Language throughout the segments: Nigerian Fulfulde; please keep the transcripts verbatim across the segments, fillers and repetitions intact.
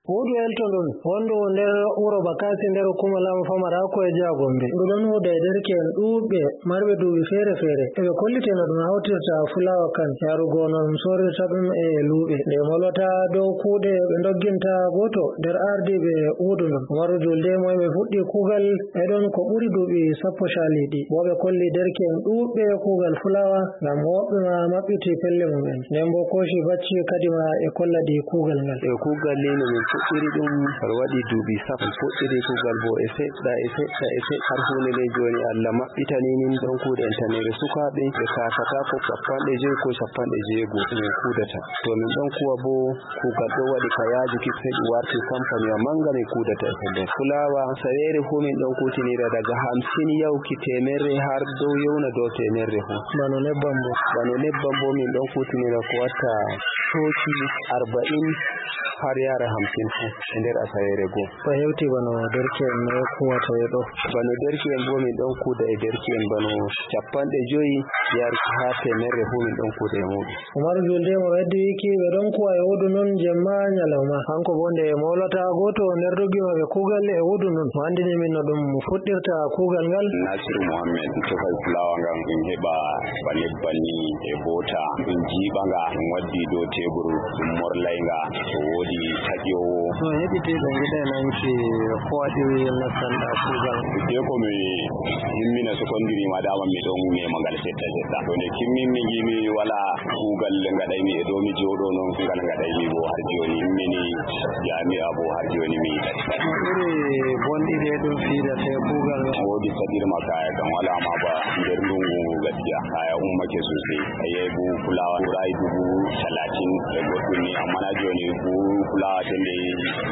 Huudu elto ɗon wondu nder wuro Bakasi nder hukuma lamu famarako e jiha Gombe. Ndu ɗon huuda e derke'en ɗuuɓɓe marɓe duuɓi feere-feere. Eɓe kolliteno ɗum hawtirta fulawa kan yarugo no ɗum sorirta ɗum e luuɓe. Nde molwata dow kuuɗe ɓe ndogginta goto nder ardiɓe huudu ndon. Umaru Julde mo ɓe fuɗɗi kuugal e ɗon ko ɓuri duuɓi sappo caliɗi. Bo ɓe kolli derke'en ɗuuɓɓe kuugal fulawa ngam woɓɓe ma maɓɓiti pelle mumen. Nden bo Koshi Bacci kadima e kolladi kuugal ngal. E kuugal ni no min fuɗɗiri ɗum har waɗi duuɓi sappo. Fuɗɗiri kuugal bo e seɗɗa e seɗɗa e seɗɗa har hunde nde joni Allah maɓɓitani min ɗon kuuɗe en tanere sukaaɓe ɓe kakata ko cappanɗe joyi ko cappanɗe jeego min kuudata. To min ɗon kuwa bo kuugal ɗo waɗi ka yaajuki sai ɗum warti kampaniwa manga min kuudata e pellel fulawa saweere fu min ɗon kutinira daga hamsin yawki temerre har dow yewna dow temerre fu. Bano nebbam bo bano nebbam bo min ɗon kutinira ko watta coci arba'in har yara hamsin fu e nder asaweere goo. Ko hewti bano derke'en no kuwata e ɗo. Bano derke'en bo min ɗon kuuda e derke'en bano cappanɗe joyi yarki ha temerre fu min ɗon kuuda e muɗum. Umaru Julde mo weddi wiki ɓe ɗon kuwa e huudu non jemma nyalawma. Hanko bo nde mawlata goto nder doggiima ɓe kuugal e huudu non mo andini min no ɗum fuɗɗirta kuugal ngal. Nasiru Muhammed tefal fulawa ngam ɗum heɓa ba nebbam ni e bota ɗum jiiɓanga ɗum waddi dow tebur ɗum morlaynga to woodi taƴowo. To heɓiti ɓe giɗa nanki ko waɗi nastanɗa kuugal. Te ko mi himmina secondary ma dama mi ɗon nema ngal seɗɗa seɗɗa. To nde kimminmi ngimi wala kuugal ngaɗaymi e dow mi jooɗo noon ngal ngaɗaymi bo har joni himmini jami'a bo har joni mi yiɗat. Ɓuri bonɗiɗe ɗum fiidate kuugal. Woodi saɗirma kaya kam wala ma ba nder ndungu gaskiya kaya ummake sosai. A yahi buhu fulawa ɓuray dubu talatin e goɗɗum ni amma na joni buhu fulawa sende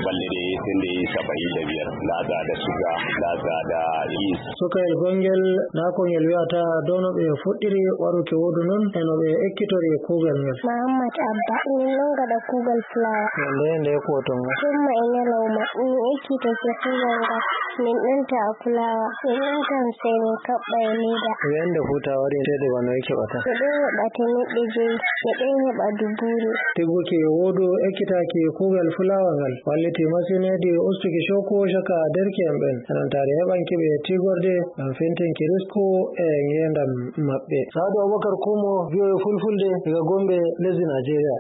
balɗe ɗe sende saba'in da biyar. Nda da suga nda da is. Sukayel gongel na ko ngel wi'ata dow no ɓe fuɗɗiri waruki huudu non e no ɓe ekkitori kuugal ngel. Muhammad Abba min ɗon gaɗa kuugal fulawa. Nde nde kuwoton ngal. Tumma e nyalawma min ekkitake kuugal ngal min ɗon ta'a fulawa min ɗon tan sai min kaɓɓa e leda. Wiyande futa waɗi tede bano e keɓata. Ɓe ɗon heɓa temeɗɗe joyi ɓe ɗon heɓa dubure. Tigguki huudu ekkitaki kuugal fulawa ngal walliti masin hedi ustuki shoko shaka derke'en ɓen enon tari heɓanki ɓe tigorde ngam fintinki risku e ngendam maɓɓe. Sadu Abubakar Kumo, V O A Fulfulde daga Gombe, lesdi Najeriya.